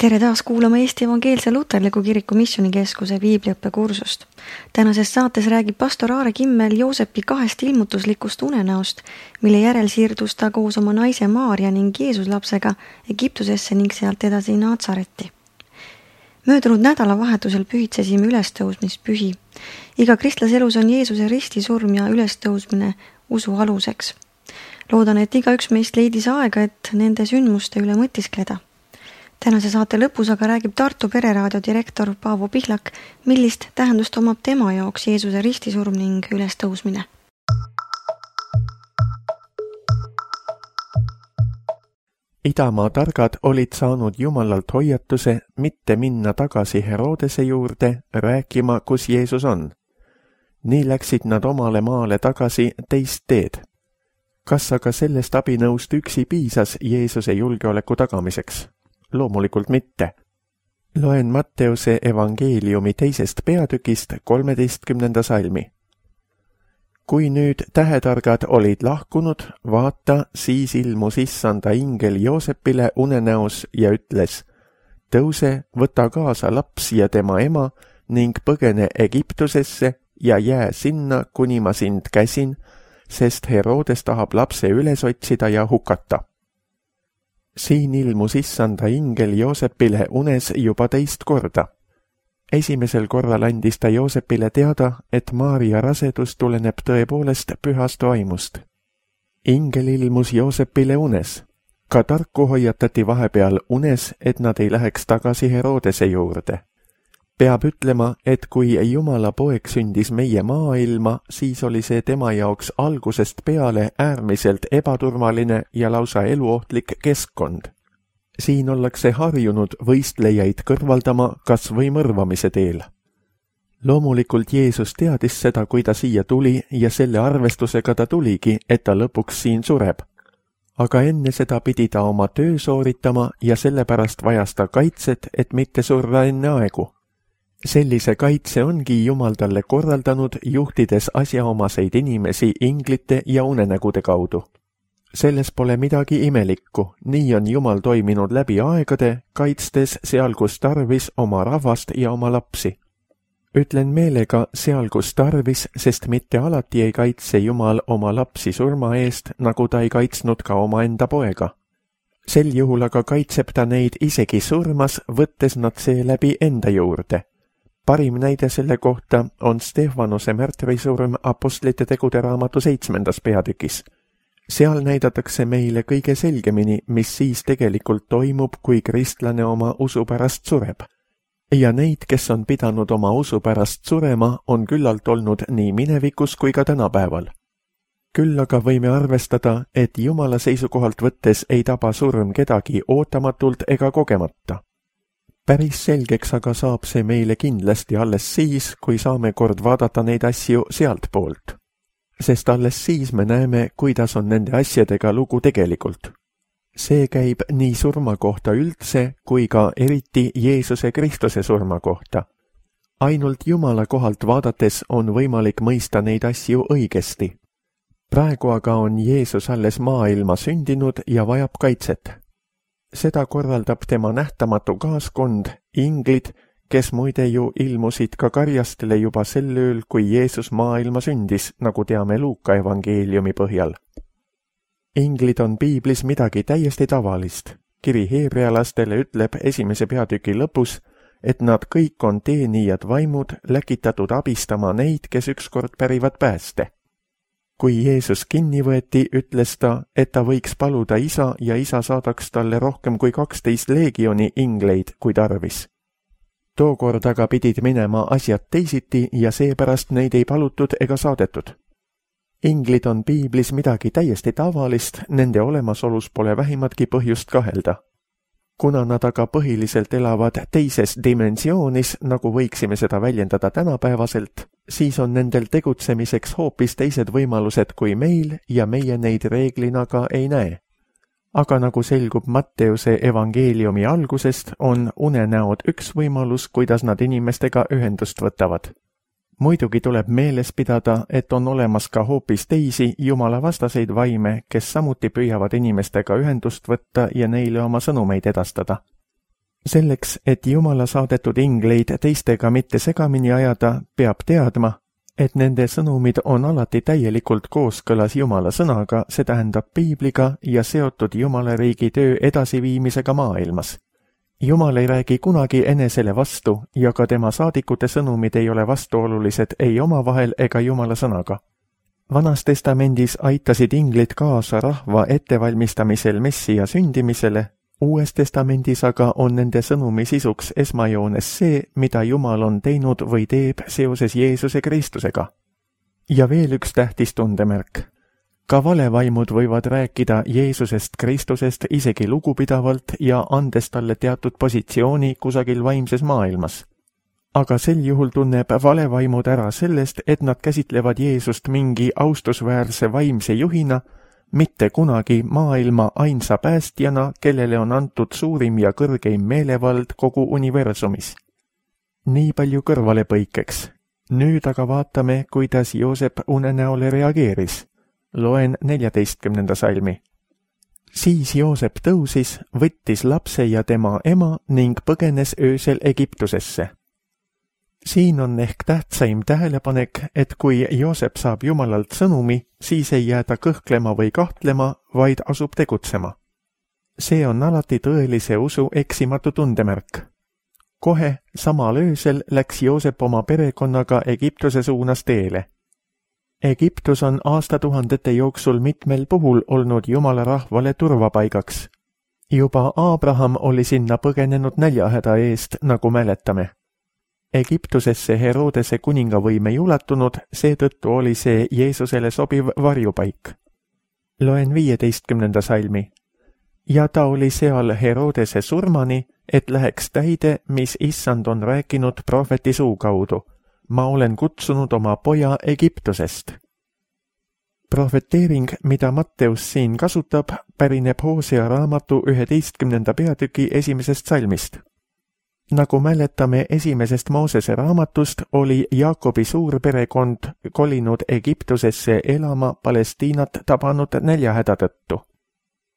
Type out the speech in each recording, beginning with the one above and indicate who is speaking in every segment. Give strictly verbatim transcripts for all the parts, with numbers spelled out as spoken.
Speaker 1: Tere taas kuulama Eesti Evangeelse Luterliku Kiriku Missioonikeskuse piibliõppekursust. Tänases saates räägib pastor Aare Kimmel Joosepi kahest ilmutuslikust unenäost, mille järel siirdus ta koos oma naise Maarja ning Jeesuslapsega Egiptusesse ning sealt edasi Natsaretti. Möödunud nädalavahetusel pühitsesime ülestõusmispühi. Iga kristlase elus on Jeesuse ristisurm ja ülestõusmine usu aluseks. Loodan, et igaüks meist leidis aega, et nende sündmuste üle mõtiskleda. Tänase saate lõpus aga räägib Tartu pereraadio direktor Paavo Pihlak, millist tähendust omab tema jaoks Jeesuse ristisurm ning ülestõusmine.
Speaker 2: Idamaa targad olid saanud Jumalalt hoiatuse mitte minna tagasi Herodese juurde rääkima, kus Jeesus on. Nii läksid nad omale maale tagasi teist teed. Kas aga sellest abinõust üksi piisas Jeesuse julgeoleku tagamiseks? Loomulikult mitte. Loen Matteuse evangeeliumi teisest peatükist kolmeteistkümnenda salmi. Kui nüüd tähetargad olid lahkunud, vaata, siis ilmus issanda ingel Joosepile unenäos ja ütles: tõuse, võta kaasa laps ja tema ema ning põgene Egiptusesse ja jää sinna, kuni ma sind käsin, sest Herodes tahab lapse üles otsida ja hukata. Siin ilmus issanda ingel Joosepile unes juba teist korda. Esimesel korral andis ta Joosepile teada, et Maarja rasedus tuleneb tõepoolest pühast vaimust. Ingel ilmus Joosepile unes. Ka tarku hoiatati vahepeal unes, et nad ei läheks tagasi Herodese juurde. Peab ütlema, et kui Jumala poeg sündis meie maailma, siis oli see tema jaoks algusest peale äärmiselt ebaturvaline ja lausa eluohtlik keskkond. Siin ollakse harjunud võistlejaid kõrvaldama kas või mõrvamise teel. Loomulikult Jeesus teadis seda, kui ta siia tuli ja selle arvestusega ta tuligi, et ta lõpuks siin sureb. Aga enne seda pidi ta oma töö sooritama ja sellepärast vajas ta kaitset, et mitte surra enne aegu. Sellise kaitse ongi Jumal talle korraldanud, juhtides asjaomaseid inimesi inglite ja unenägude kaudu. Selles pole midagi imelikku, nii on Jumal toiminud läbi aegade, kaitstes seal, kus tarvis oma rahvast ja oma lapsi. Ütlen meelega seal, kus tarvis, sest mitte alati ei kaitse Jumal oma lapsi surma eest, nagu ta ei kaitsnud ka oma enda poega. Sel juhul aga kaitseb ta neid isegi surmas, võttes nad seeläbi enda juurde. Parim näide selle kohta on Stefanose märtrisurm Apostlite tegude raamatu seitsmendas peatükis. Seal näidatakse meile kõige selgemini, mis siis tegelikult toimub, kui kristlane oma usu pärast sureb. Ja neid, kes on pidanud oma usu pärast surema, on küllalt olnud nii minevikus kui ka tänapäeval. Küll aga võime arvestada, et Jumala seisukohalt võttes ei taba surm kedagi ootamatult ega kogemata. Päris selgeks aga saab see meile kindlasti alles siis, kui saame kord vaadata neid asju sealt poolt. Sest alles siis me näeme, kuidas on nende asjadega lugu tegelikult. See käib nii surma kohta üldse, kui ka eriti Jeesuse Kristuse surma kohta. Ainult Jumala kohalt vaadates on võimalik mõista neid asju õigesti. Praegu aga on Jeesus alles maailma sündinud ja vajab kaitset. Seda korraldab tema nähtamatu kaaskond, inglid, kes muide ju ilmusid ka karjastele juba sel ööl, kui Jeesus maailma sündis, nagu teame Luuka evangeeliumi põhjal. Inglid on piiblis midagi täiesti tavalist. Kiri heebrealastele ütleb esimese peatüki lõpus, et nad kõik on teenijad vaimud, läkitatud abistama neid, kes ükskord pärivad pääste. Kui Jeesus kinni võeti, ütles ta, et ta võiks paluda isa ja isa saadaks talle rohkem kui kaksteist leegioni ingleid, kui tarvis. Tookord aga pidid minema asjad teisiti ja seepärast neid ei palutud ega saadetud. Inglid on piiblis midagi täiesti tavalist, nende olemasolus pole vähimatki põhjust kahelda. Kuna nad aga põhiliselt elavad teises dimensioonis, nagu võiksime seda väljendada tänapäevaselt, siis on nendel tegutsemiseks hoopis teised võimalused kui meil ja meie neid reeglina ka ei näe. Aga nagu selgub Matteuse evangeeliumi algusest, on unenäod üks võimalus, kuidas nad inimestega ühendust võtavad. Muidugi tuleb meeles pidada, et on olemas ka hoopis teisi Jumala vastaseid vaime, kes samuti püüavad inimestega ühendust võtta ja neile oma sõnumeid edastada. Selleks, et Jumala saadetud ingleid teistega mitte segamini ajada, peab teadma, et nende sõnumid on alati täielikult kooskõlas Jumala sõnaga, see tähendab Piibliga ja seotud Jumala riigi töö edasiviimisega maailmas. Jumal ei räägi kunagi enesele vastu ja ka tema saadikute sõnumid ei ole vastuolulised ei omavahel ega Jumala sõnaga. Vanas testamendis aitasid inglid kaasa rahva ettevalmistamisel Messia sündimisele, Uues testamendis aga on nende sõnumi sisuks esmajoones see, mida Jumal on teinud või teeb seoses Jeesuse Kristusega. Ja veel üks tähtis tundemärk. Ka valevaimud võivad rääkida Jeesusest Kristusest isegi lugupidavalt ja andes talle teatud positsiooni kusagil vaimses maailmas. Aga sel juhul tunneb valevaimud ära sellest, et nad käsitlevad Jeesust mingi austusväärse vaimse juhina, mitte kunagi maailma ainsa päästjana, kellele on antud suurim ja kõrgeim meelevald kogu universumis. Nii palju kõrvalepõikeks. Nüüd aga vaatame, kuidas Joosep unenäole reageeris. Loen neljateistkümnenda salmi. Siis Joosep tõusis, võttis lapse ja tema ema ning põgenes öösel Egiptusesse. Siin on ehk tähtsaim tähelepanek, et kui Joosep saab Jumalalt sõnumi, siis ei jää ta kõhklema või kahtlema, vaid asub tegutsema. See on alati tõelise usu eksimatu tundemärk. Kohe samal öösel läks Joosep oma perekonnaga Egiptuse suunas teele. Egiptus on aastatuhandete jooksul mitmel puhul olnud Jumala rahvale turvapaigaks. Juba Abraham oli sinna põgenenud näljahäda eest, nagu mäletame. Egiptusesse Herodese kuningavõim ei ulatunud, seetõttu oli see Jeesusele sobiv varjupaik. Loen viieteistkümnenda salmi. Ja ta oli seal Herodese surmani, et läheks täide, mis issand on rääkinud prohveti suu kaudu. Ma olen kutsunud oma poja Egiptusest. Prohveteering, mida Matteus siin kasutab, pärineb Hosea raamatu üheteistkümnenda peatüki esimesest salmist. Nagu mäletame esimesest Moosese raamatust, oli Jaakobi suurperekond kolinud Egiptusesse elama Palestiinat tabanud näljahäda tõttu.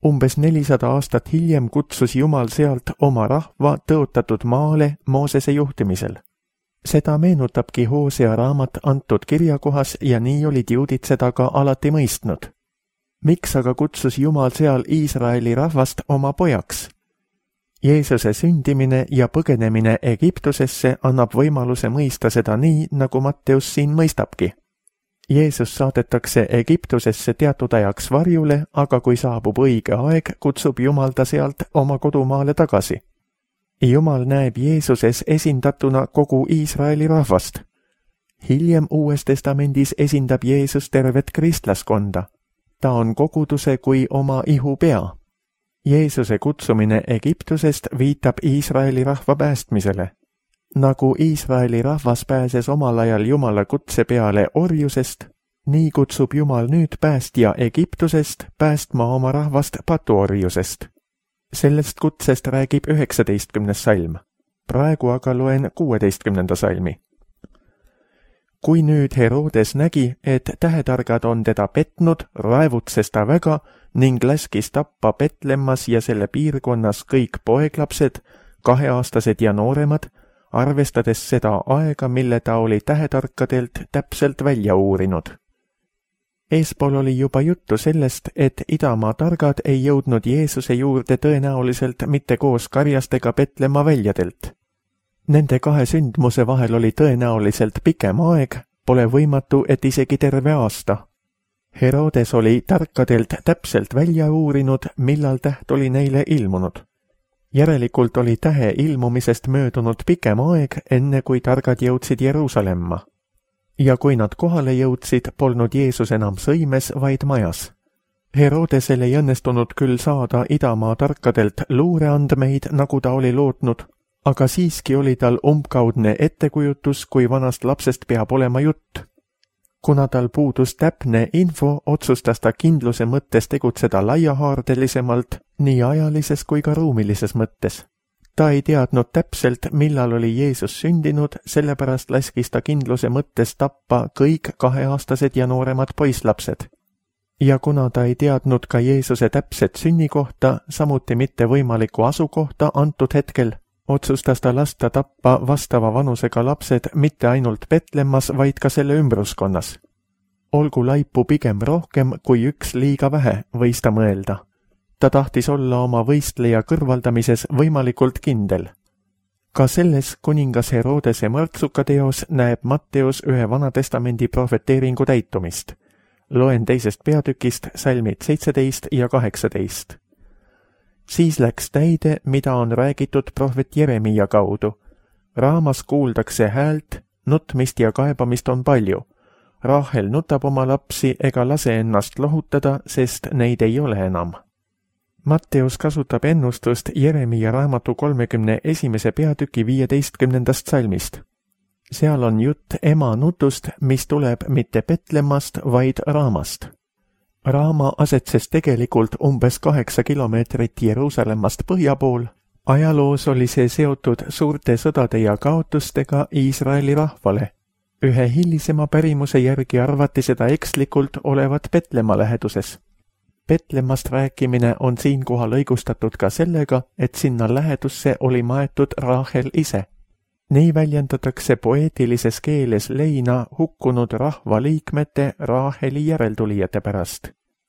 Speaker 2: Umbes nelisada aastat hiljem kutsus Jumal sealt oma rahva tõotatud maale Moosese juhtimisel. Seda meenutabki Hosea raamat antud kirjakohas ja nii olid juudid seda ka alati mõistnud. Miks aga kutsus Jumal seal Iisraeli rahvast oma pojaks? Jeesuse sündimine ja põgenemine Egiptusesse annab võimaluse mõista seda nii, nagu Matteus siin mõistabki. Jeesus saadetakse Egiptusesse teatud ajaks varjule, aga kui saabub õige aeg, kutsub Jumal ta sealt oma kodumaale tagasi. Jumal näeb Jeesuses esindatuna kogu Iisraeli rahvast. Hiljem Uues testamendis esindab Jeesus tervet kristlaskonda. Ta on koguduse kui oma ihu pea. Jeesuse kutsumine Egiptusest viitab Iisraeli rahva päästmisele. Nagu Iisraeli rahvas pääses omal ajal Jumala kutse peale orjusest, nii kutsub Jumal nüüd päästja Egiptusest päästma oma rahvast patuorjusest. Sellest kutsest räägib üheksateistkümnes salm. Praegu aga loen kuueteistkümnenda salmi. Kui nüüd Herodes nägi, et tähetargad on teda petnud, raevutses ta väga ning laskis tappa Petlemmas ja selle piirkonnas kõik poeglapsed, kaheaastased ja nooremad, arvestades seda aega, mille ta oli tähetarkadelt täpselt välja uurinud. Eespool oli juba juttu sellest, et idamaa targad ei jõudnud Jeesuse juurde tõenäoliselt mitte koos karjastega Petlemma väljadelt. Nende kahe sündmuse vahel oli tõenäoliselt pikem aeg, pole võimatu, et isegi terve aasta. Herodes oli tarkadelt täpselt välja uurinud, millal täht oli neile ilmunud. Järelikult oli tähe ilmumisest möödunud pikem aeg, enne kui targad jõudsid Jeruusalemma. Ja kui nad kohale jõudsid, polnud Jeesus enam sõimes, vaid majas. Herodesel ei õnnestunud küll saada idamaa tarkadelt luureandmeid, nagu ta oli lootnud, aga siiski oli tal umbkaudne ettekujutus, kui vanast lapsest peab olema jutt. Kuna tal puudus täpne info, otsustas ta kindluse mõttes tegutseda laiahaardelisemalt, nii ajalises kui ka ruumilises mõttes. Ta ei teadnud täpselt, millal oli Jeesus sündinud, sellepärast laskis ta kindluse mõttes tappa kõik kaheaastased ja nooremad poislapsed. Ja kuna ta ei teadnud ka Jeesuse täpset sünnikohta, samuti mitte võimalikku asukohta antud hetkel, otsustas ta lasta tappa vastava vanusega lapsed mitte ainult Petlemmas, vaid ka selle ümbruskonnas. Olgu laipu pigem rohkem kui üks liiga vähe, võis ta mõelda. Ta tahtis olla oma võistleja kõrvaldamises võimalikult kindel. Ka selles kuningas Herodese mõrtsuka teos näeb Matteus ühe Vanatestamendi profeteeringu täitumist. Loen teisest peatükist salmid seitseteist ja kaheksateist. Siis läks täide, mida on räägitud prohvet Jeremia kaudu. Raamas kuuldakse häält, nutmist ja kaebamist on palju. Rahel nutab oma lapsi ega lase ennast lohutada, sest neid ei ole enam. Matteus kasutab ennustust Jeremia raamatu kolmekümne esimese peatüki viieteistkümnendast salmist. Seal on jutt ema nutust, mis tuleb mitte Petlemmast, vaid Raamast. Raama asetses tegelikult umbes kaheksa kilomeetrit Jeruusalemmast põhja pool. Ajaloos oli see seotud suurte sõdade ja kaotustega Iisraeli rahvale. Ühe hilisema pärimuse järgi arvati seda ekslikult olevat Petlemma läheduses. Petlemmast rääkimine on siinkohal õigustatud ka sellega, et sinna lähedusse oli maetud Rahel ise. Nii väljendatakse poeetilises keeles leina hukkunud rahva liikmete Raheli järeltulijate pärast.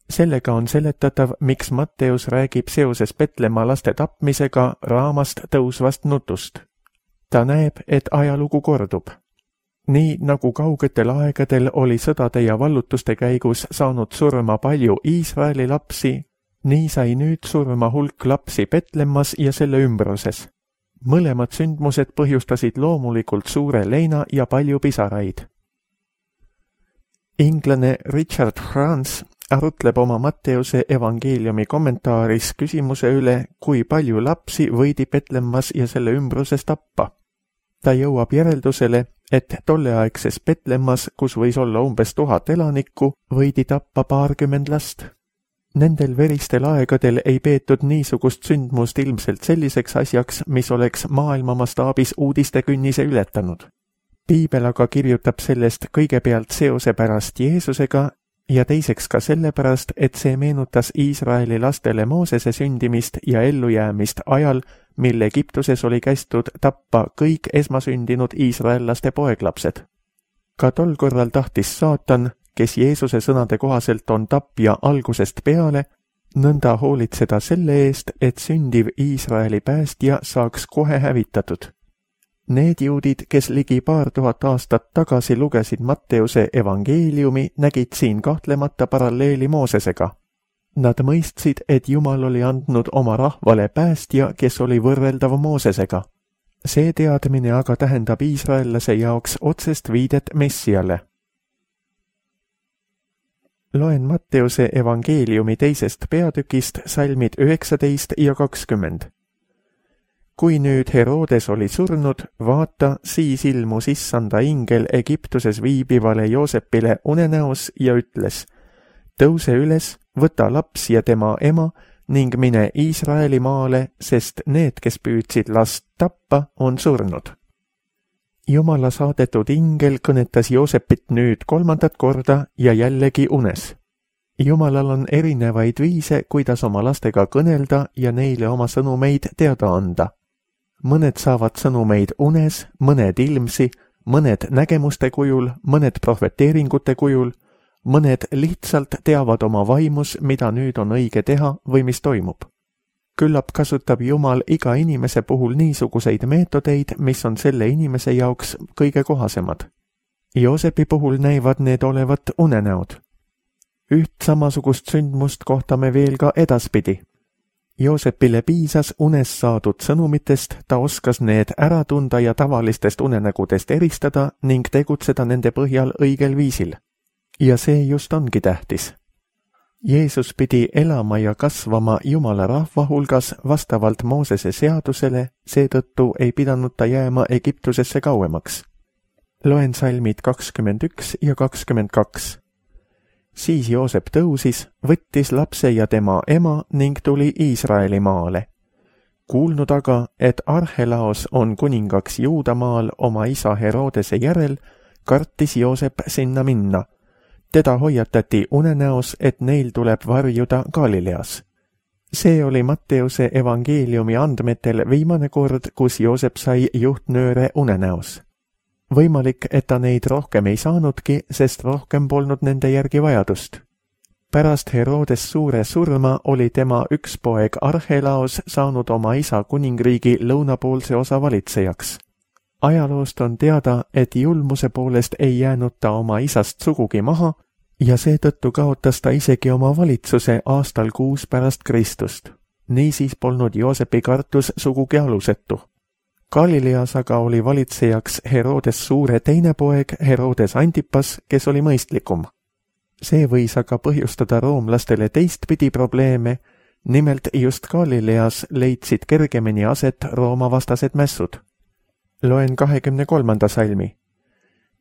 Speaker 2: Sellega on seletatav, miks Matteus räägib seoses Petlemma laste tapmisega Raamast tõusvast nutust. Ta näeb, et ajalugu kordub. Nii nagu kaugetel aegadel oli sõdade ja vallutuste käigus saanud surma palju Iisraeli lapsi, nii sai nüüd surma hulk lapsi Petlemmas ja selle ümbruses. Mõlemad sündmused põhjustasid loomulikult suure leina ja palju pisaraid. Inglane Richard Franz arutleb oma Matteuse evangeeliumi kommentaaris küsimuse üle, kui palju lapsi võidi Petlemmas ja selle ümbruses tappa. Ta jõuab järeldusele, et tolleaegses Petlemmas, kus võis olla umbes tuhat elanikku, võidi tappa paarkümmend last. Nendel veristel aegadel ei peetud niisugust sündmust ilmselt selliseks asjaks, mis oleks maailma mastaabis uudistekünnise ületanud. Piibel aga kirjutab sellest kõigepealt seose pärast Jeesusega ja teiseks ka sellepärast, et see meenutas Iisraeli lastele Moosese sündimist ja ellujäämist ajal, mil Egiptuses oli kästud tappa kõik esmasündinud iisraellaste poeglapsed. Ka tol korral tahtis saatan, kes Jeesuse sõnade kohaselt on tapja algusest peale, nõnda hoolitseda selle eest, et sündiv Iisraeli päästja saaks kohe hävitatud. Need juudid, kes ligi paar tuhat aastat tagasi lugesid Matteuse evangeeliumi, nägid siin kahtlemata paralleeli Moosesega. Nad mõistsid, et Jumal oli andnud oma rahvale päästja, kes oli võrreldav Moosesega. See teadmine aga tähendab iisraellase jaoks otsest viidet Messiale. Loen Matteuse evangeeliumi teisest peatükist salmid üheksateist ja kakskümmend. Kui nüüd Herodes oli surnud, vaata, siis ilmus issanda ingel Egiptuses viibivale Joosepile unenäos ja ütles: tõuse üles, võta laps ja tema ema ning mine Iisraeli maale, sest need, kes püüdsid last tappa, on surnud. Jumala saadetud ingel kõnetas Joosepit nüüd kolmandat korda ja jällegi unes. Jumalal on erinevaid viise, kuidas oma lastega kõnelda ja neile oma sõnumeid teada anda. Mõned saavad sõnumeid unes, mõned ilmsi, mõned nägemuste kujul, mõned profeteeringute kujul, mõned lihtsalt teavad oma vaimus, mida nüüd on õige teha või mis toimub. Küllap kasutab Jumal iga inimese puhul niisuguseid meetodeid, mis on selle inimese jaoks kõige kohasemad. Joosepi puhul näivad need olevat unenäod. Üht samasugust sündmust kohtame veel ka edaspidi. Joosepile piisas unes saadud sõnumitest, ta oskas need ära tunda ja tavalistest unenägudest eristada ning tegutseda nende põhjal õigel viisil. Ja see just ongi tähtis. Jeesus pidi elama ja kasvama Jumala rahva hulgas vastavalt Moosese seadusele, seetõttu ei pidanud ta jääma Egiptusesse kauemaks. Loen salmid kakskümmend üks ja kakskümmend kaks. Siis Joosep tõusis, võttis lapse ja tema ema ning tuli Iisraeli maale. Kuulnud aga, et Arhelaos on kuningaks Juudamaal oma isa Herodese järel, kartis Joosep sinna minna. Teda hoiatati unenäos, et neil tuleb varjuda Galileas. See oli Matteuse evangeeliumi andmetel viimane kord, kus Joosep sai juhtnööre unenäos. Võimalik, et ta neid rohkem ei saanudki, sest rohkem polnud nende järgi vajadust. Pärast Herodes suure surma oli tema üks poeg Arhelaos saanud oma isa kuningriigi lõunapoolse osa valitsejaks. Ajaloost on teada, et julmuse poolest ei jäänud ta oma isast sugugi maha ja seetõttu kaotas ta isegi oma valitsuse aastal kuus pärast Kristust. Niisiis polnud Joosepi kartus sugugi alusetu. Galileas aga oli valitsejaks Herodes suure teine poeg Herodes Antipas, kes oli mõistlikum. See võis aga põhjustada roomlastele teistpidi probleeme, nimelt just Galileas leidsid kergemini aset Rooma vastased mässud. Loen kahekümne kolmanda salmi.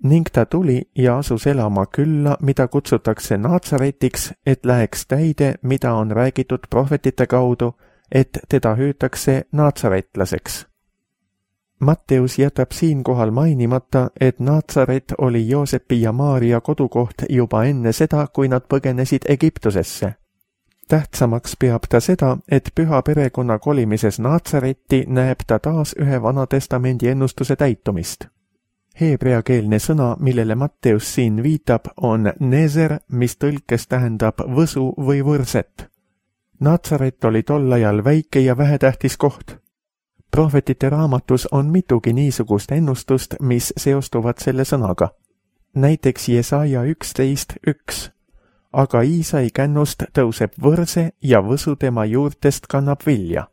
Speaker 2: Ning ta tuli ja asus elama külla, mida kutsutakse Naatsaretiks, et läheks täide, mida on räägitud prohvetite kaudu, et teda hüütakse naatsaretlaseks. Matteus jätab siinkohal mainimata, et Naatsaret oli Joosepi ja Maaria kodukoht juba enne seda, kui nad põgenesid Egiptusesse. Tähtsamaks peab ta seda, et püha perekonna kolimises Naatsaretti näeb ta taas ühe Vana Testamendi ennustuse täitumist. Heebreakeelne sõna, millele Matteus siin viitab, on nezer, mis tõlkes tähendab võsu või võrset. Naatsaret oli tol ajal väike ja vähetähtis koht. Prohvetite raamatus on mitugi niisugust ennustust, mis seostuvad selle sõnaga. Näiteks Jesaja üksteist üks. Aga Iisai kännust tõuseb võrse ja võsu tema juurtest kannab vilja.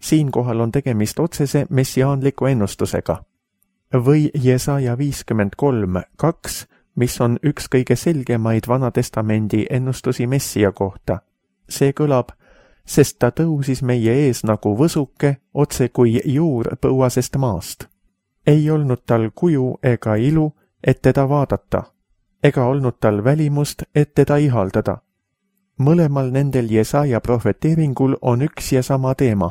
Speaker 2: Siinkohal on tegemist otsese messiaanliku ennustusega. Või Jesaja viiskümmend kolm kaks, mis on üks kõige selgemaid Vana Testamendi ennustusi messia kohta. See kõlab, sest ta tõusis meie ees nagu võsuke, otse kui juur põuasest maast. Ei olnud tal kuju ega ilu, et teda vaadata, ega olnud tal välimust, et teda ihaldada. Mõlemal nendel Jesaja prohveteeringul on üks ja sama teema.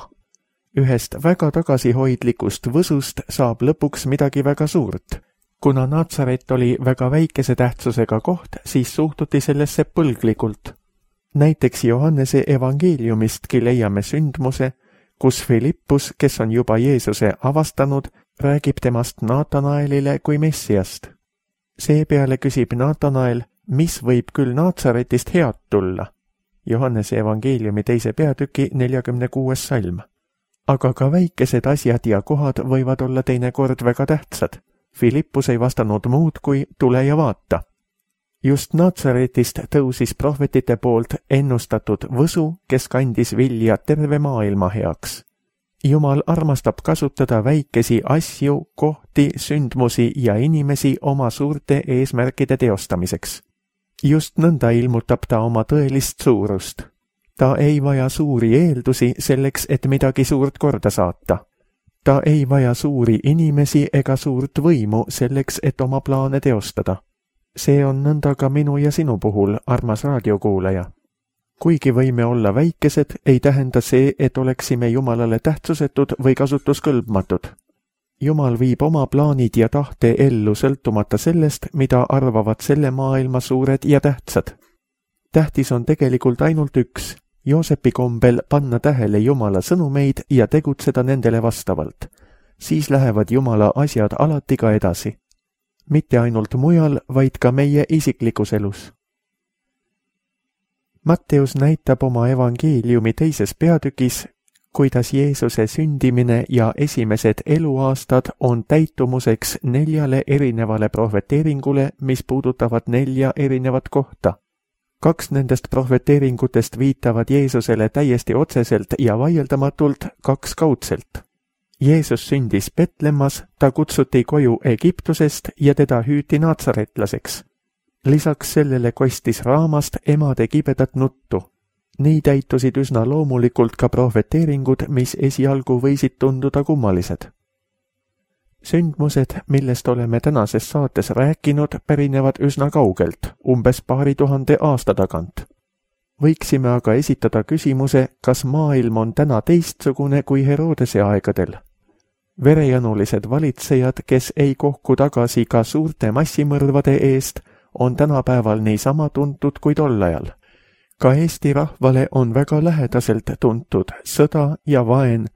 Speaker 2: Ühest väga tagasihoidlikust võsust saab lõpuks midagi väga suurt. Kuna Naatsaret oli väga väikese tähtsusega koht, siis suhtuti sellesse põlglikult. Näiteks Johannese evangeeliumistki leiame sündmuse, kus Filippus, kes on juba Jeesuse avastanud, räägib temast Naatanaelile kui messiast. Seepeale küsib Naatanael, mis võib küll Naatsaretist head tulla. Johannese evangeeliumi teise peatüki neljakümne kuues salm. Aga ka väikesed asjad ja kohad võivad olla teinekord väga tähtsad. Filippus ei vastanud muud kui tule ja vaata. Just Naatsaretist tõusis prohvetite poolt ennustatud võsu, kes kandis vilja terve maailma heaks. Jumal armastab kasutada väikesi asju, kohti, sündmusi ja inimesi oma suurte eesmärkide teostamiseks. Just nõnda ilmutab ta oma tõelist suurust. Ta ei vaja suuri eeldusi selleks, et midagi suurt korda saata. Ta ei vaja suuri inimesi ega suurt võimu selleks, et oma plaane teostada. See on nõnda ka minu ja sinu puhul, armas raadiokuulaja. Kuigi võime olla väikesed, ei tähenda see, et oleksime Jumalale tähtsusetud või kasutuskõlbmatud. Jumal viib oma plaanid ja tahte ellu sõltumata sellest, mida arvavad selle maailma suured ja tähtsad. Tähtis on tegelikult ainult üks, Joosepi kombel panna tähele Jumala sõnumeid ja tegutseda nendele vastavalt. Siis lähevad Jumala asjad alati ka edasi. Mitte ainult mujal, vaid ka meie isiklikus elus. Matteus näitab oma evangeeliumi teises peatükis, kuidas Jeesuse sündimine ja esimesed eluaastad on täitumuseks neljale erinevale prohveteeringule, mis puudutavad nelja erinevat kohta. Kaks nendest prohveteeringutest viitavad Jeesusele täiesti otseselt ja vaieldamatult, kaks kaudselt. Jeesus sündis Betlemmas, ta kutsuti koju Egiptusest ja teda hüüti naatsaretlaseks. Lisaks sellele kostis raamast emade kibedat nuttu. Nii täitusid üsna loomulikult ka prohveteeringud, mis esialgu võisid tunduda kummalised. Sündmused, millest oleme tänases saates rääkinud, pärinevad üsna kaugelt, umbes paari tuhande aasta tagant. Võiksime aga esitada küsimuse, kas maailm on täna teistsugune kui Herodese aegadel. Verejanulised valitsejad, kes ei kohku tagasi ka suurte massimõrvade eest, on tänapäeval niisama tuntud kui tol ajal. ka Eesti rahvale on väga lähedaselt tuntud sõda ja vaen,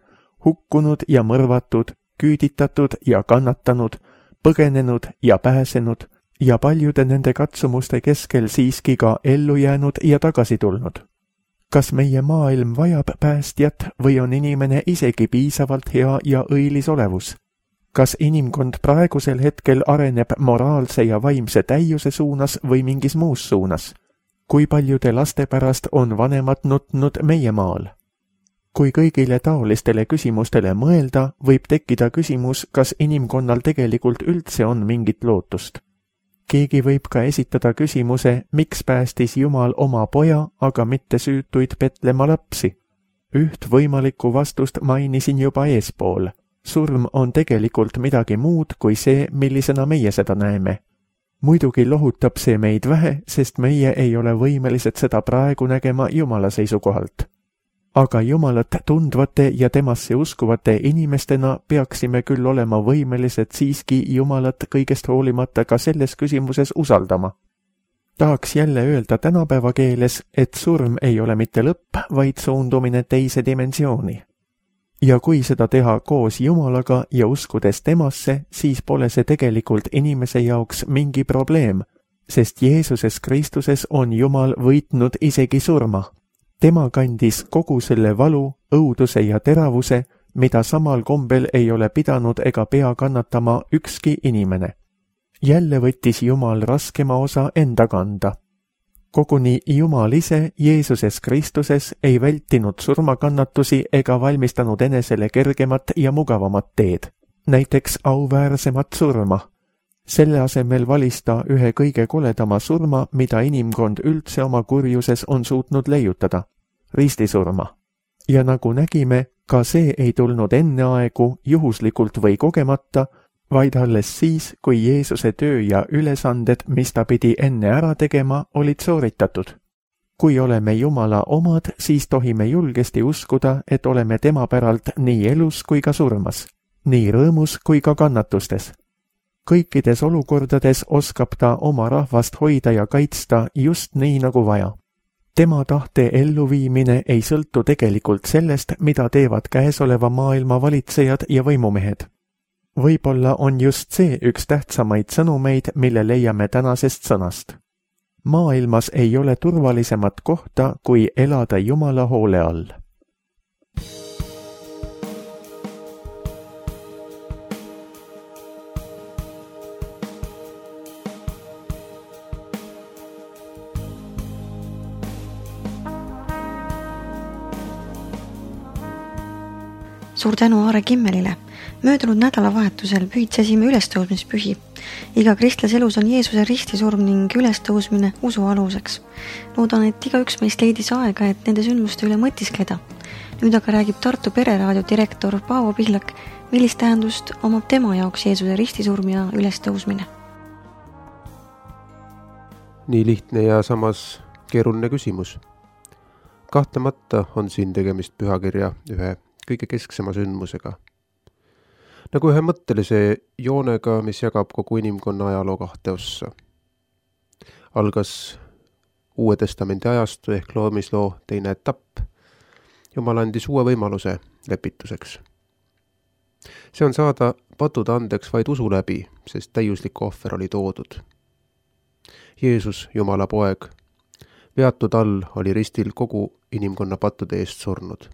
Speaker 2: hukkunud ja mõrvatud, küüditatud ja kannatanud, põgenenud ja pääsenud ja paljude nende katsumuste keskel siiski ka ellu jäänud ja tagasi tulnud. Kas meie maailm vajab päästjat või on inimene isegi piisavalt hea ja õilis olevus? Kas inimkond praegusel hetkel areneb moraalse ja vaimse täiuse suunas või mingis muus suunas? Kui paljude laste pärast on vanemad nutnud meie maal? Kui kõigile taolistele küsimustele mõelda, võib tekkida küsimus, kas inimkonnal tegelikult üldse on mingit lootust. Keegi võib ka esitada küsimuse, miks päästis Jumal oma poja, aga mitte süütuid Betlema lapsi. Üht võimalikku vastust mainisin juba eespool. Surm on tegelikult midagi muud kui see, millisena meie seda näeme. Muidugi lohutab see meid vähe, sest meie ei ole võimelised seda praegu nägema Jumala seisukohalt. Aga Jumalat tundvate ja temasse uskuvate inimestena peaksime küll olema võimelised siiski Jumalat kõigest hoolimata ka selles küsimuses usaldama. Tahaks jälle öelda tänapäeva keeles, et surm ei ole mitte lõpp, vaid suundumine teise dimensiooni. Ja kui seda teha koos Jumalaga ja uskudes temasse, siis pole see tegelikult inimese jaoks mingi probleem, sest Jeesuses Kristuses on Jumal võitnud isegi surma. Tema kandis kogu selle valu, õuduse ja teravuse, mida samal kombel ei ole pidanud ega pea kannatama ükski inimene. Jälle võttis Jumal raskema osa enda kanda. Koguni Jumal ise Jeesuses Kristuses ei vältinud surmakannatusi ega valmistanud enesele kergemat ja mugavamat teed, näiteks auväärsemat surma. Selle asemel valis ta ühe kõige koledama surma, mida inimkond üldse oma kurjuses on suutnud leiutada, ristisurma. Ja nagu nägime, ka see ei tulnud enne aegu juhuslikult või kogemata, vaid alles siis, kui Jeesuse töö ja ülesanded, mis ta pidi enne ära tegema, olid sooritatud. Kui oleme Jumala omad, siis tohime julgesti uskuda, et oleme tema päralt nii elus kui ka surmas, nii rõõmus kui ka kannatustes. Kõikides olukordades oskab ta oma rahvast hoida ja kaitsta just nii nagu vaja. Tema tahte elluviimine ei sõltu tegelikult sellest, mida teevad käesoleva maailma valitsejad ja võimumehed. Võib-olla on just see üks tähtsamaid sõnumeid, mille leiame tänasest sõnast. Maailmas ei ole turvalisemat kohta, kui elada Jumala hoole all.
Speaker 1: Suur tänu Aare Kimmelile. Möödunud nädalavahetusel pühitsesime ülestõusmispühi. Iga kristlase elus on Jeesuse ristisurm ning ülestõusmine usu aluseks. Loodan, et igaüks meist leidis aega, et nende sündmuste üle mõtiskleda. Nüüd aga räägib Tartu Pereraadio direktor Paavo Pihlak, millist tähendust omab tema jaoks Jeesuse ristisurm ja ülestõusmine.
Speaker 3: Nii lihtne ja samas keeruline küsimus. Kahtlemata on siin tegemist pühakirja ühe kõige kesksema sündmusega. Nagu ühe mõttelise joonega, mis jagab kogu inimkonna ajaloo kahte ossa. Algas Uue Testamendi ajastu ehk loomisloo teine etapp. Jumal andis uue võimaluse lepituseks. See on saada padude andeks vaid usu läbi, sest täiuslik ohver oli toodud. Jeesus, Jumala poeg, veatud all oli ristil kogu inimkonna pattude eest surnud.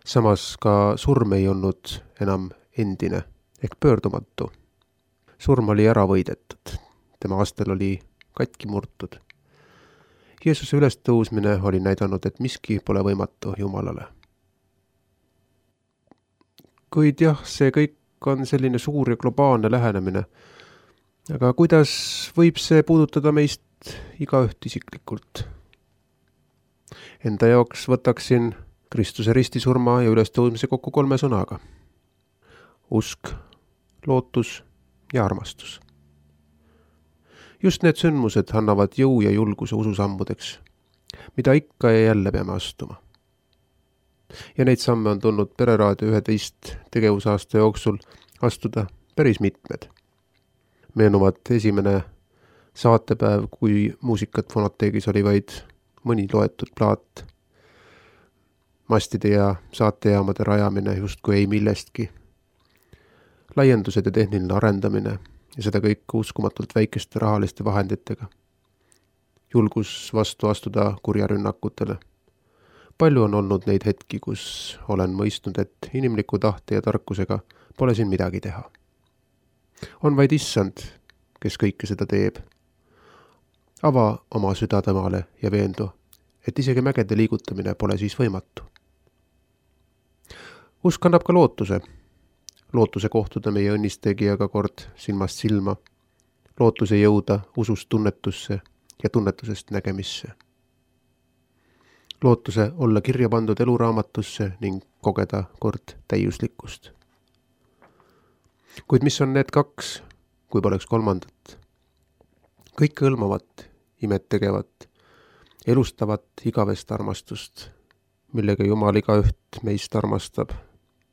Speaker 3: Samas ka surm ei olnud enam endine ehk pöördumatu. Surm oli ära võidetud, tema astel oli katki murtud. Jeesuse ülestõusmine oli näidanud, et miski pole võimatu Jumalale. Kuid jah, see kõik on selline suur ja globaalne lähenemine. Aga kuidas võib see puudutada meist igaüht isiklikult? Enda jaoks võtaksin Kristuse ristisurma ja ülestõusmise kokku kolme sõnaga. Usk, lootus ja armastus. Just need sündmused annavad jõu ja julguse ususammudeks, mida ikka ja jälle peame astuma. Ja neid samme on tulnud Pereraadio üheteist tegevusaasta jooksul astuda päris mitmed. Meenuvad esimene saatepäev, kui muusikat Fonoteegis oli vaid mõni loetud plaat, mastide ja saatejaamade rajamine justkui ei millestki, laiendused ja tehniline arendamine ja seda kõik uskumatult väikeste rahaliste vahenditega, julgus vastu astuda kurjarünnakutele. Palju on olnud neid hetki, kus olen mõistnud, et inimliku tahte ja tarkusega pole siin midagi teha. On vaid issand, kes kõike seda teeb. Ava oma süda temale ja veendu, et isegi mägede liigutamine pole siis võimatu. Usk annab ka lootuse. Lootuse kohtuda meie õnnistegijaga kord silmast silma. Lootuse jõuda usust tunnetusse ja tunnetusest nägemisse. Lootuse olla kirja pandud eluraamatusse ning kogeda kord täiuslikkust. Kuid mis on need kaks, kui poleks kolmandat? Kõike hõlmavat, imet tegevat, elustavat igavest armastust, millega Jumal igaüht meist armastab,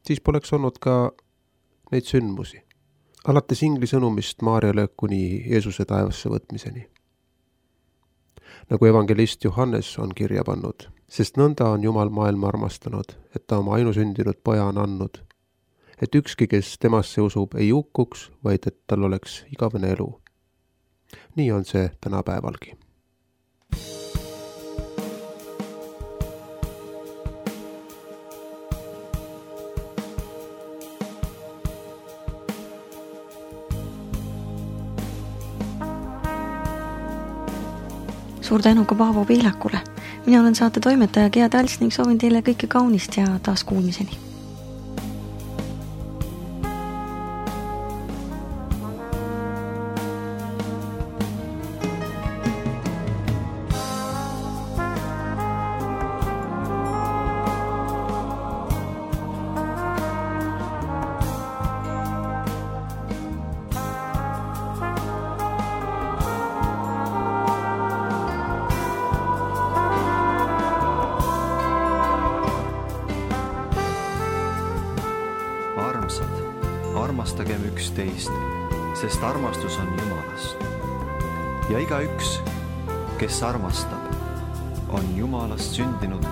Speaker 3: siis poleks olnud ka neid sündmusi. Alates ingli sõnumist Maarjale kuni Jeesuse taevasse võtmiseni. Nagu evangelist Johannes on kirja pannud, sest nõnda on Jumal maailma armastanud, et ta oma ainusündinud poja on andnud, et ükski, kes temasse usub, ei hukkuks, vaid et tal oleks igavene elu. Nii on see tänapäevalgi.
Speaker 1: Suur tänu ka Paavo Pihlakule. Mina olen saate toimetaja Gea Talts ning soovin teile kõike kaunist ja taas kuulmiseni.
Speaker 4: Armastagem üksteist, sest armastus on Jumalast. Ja igaüks, kes armastab, on Jumalast sündinud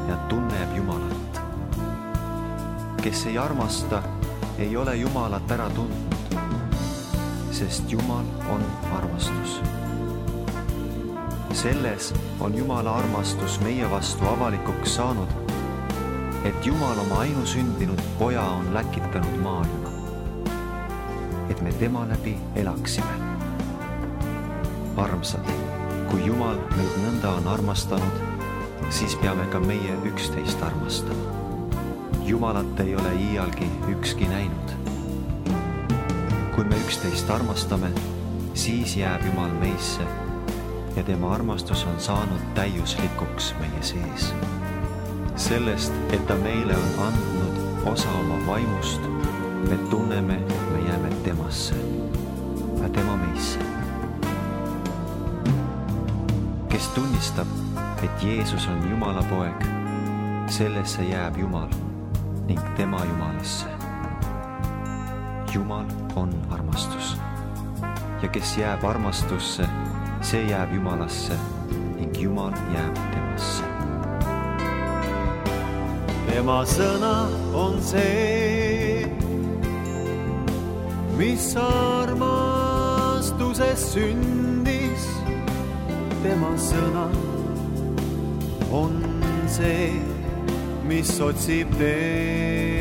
Speaker 4: ja tunneb Jumalat. Kes ei armasta, ei ole Jumalat ära tundnud, sest Jumal on armastus. Selles on Jumala armastus meie vastu avalikuks saanud, et Jumal oma ainusündinud poja on läkitanud maailma, et me tema läbi elaksime. Armsad, kui Jumal meid nõnda on armastanud, siis peame ka meie üksteist armastama. Jumalat ei ole iialgi ükski näinud. Kui me üksteist armastame, siis jääb Jumal meisse ja tema armastus on saanud täiuslikuks meie sees. Sellest, et ta meile on andnud osa oma vaimust, me tunneme, et me jääme temasse ja tema meisse. Kes tunnistab, et Jeesus on Jumala poeg, sellesse jääb Jumal ning tema Jumalasse. Jumal on armastus ja kes jääb armastusse, see jääb Jumalasse ning Jumal jääb temasse.
Speaker 5: Tema sõna on see, mis armastuses sündis. Tema sõna on see, mis otsib teed,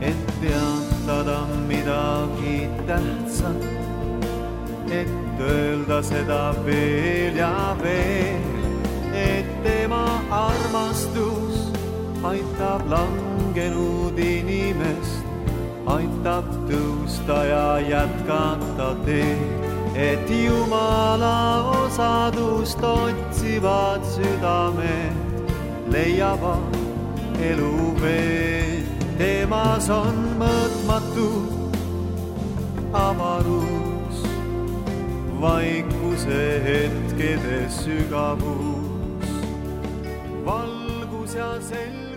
Speaker 5: et teatada midagi tähtsat, et öelda seda veel ja veel. Et tema armastus aitab langenud inimest, aitab tõusta ja jätkata teed, et Jumala osadust otsivad südamed leiavad elu veel. Temas on mõõtmatu avarus, vaikuse hetkede sügavus. Valgus ja sel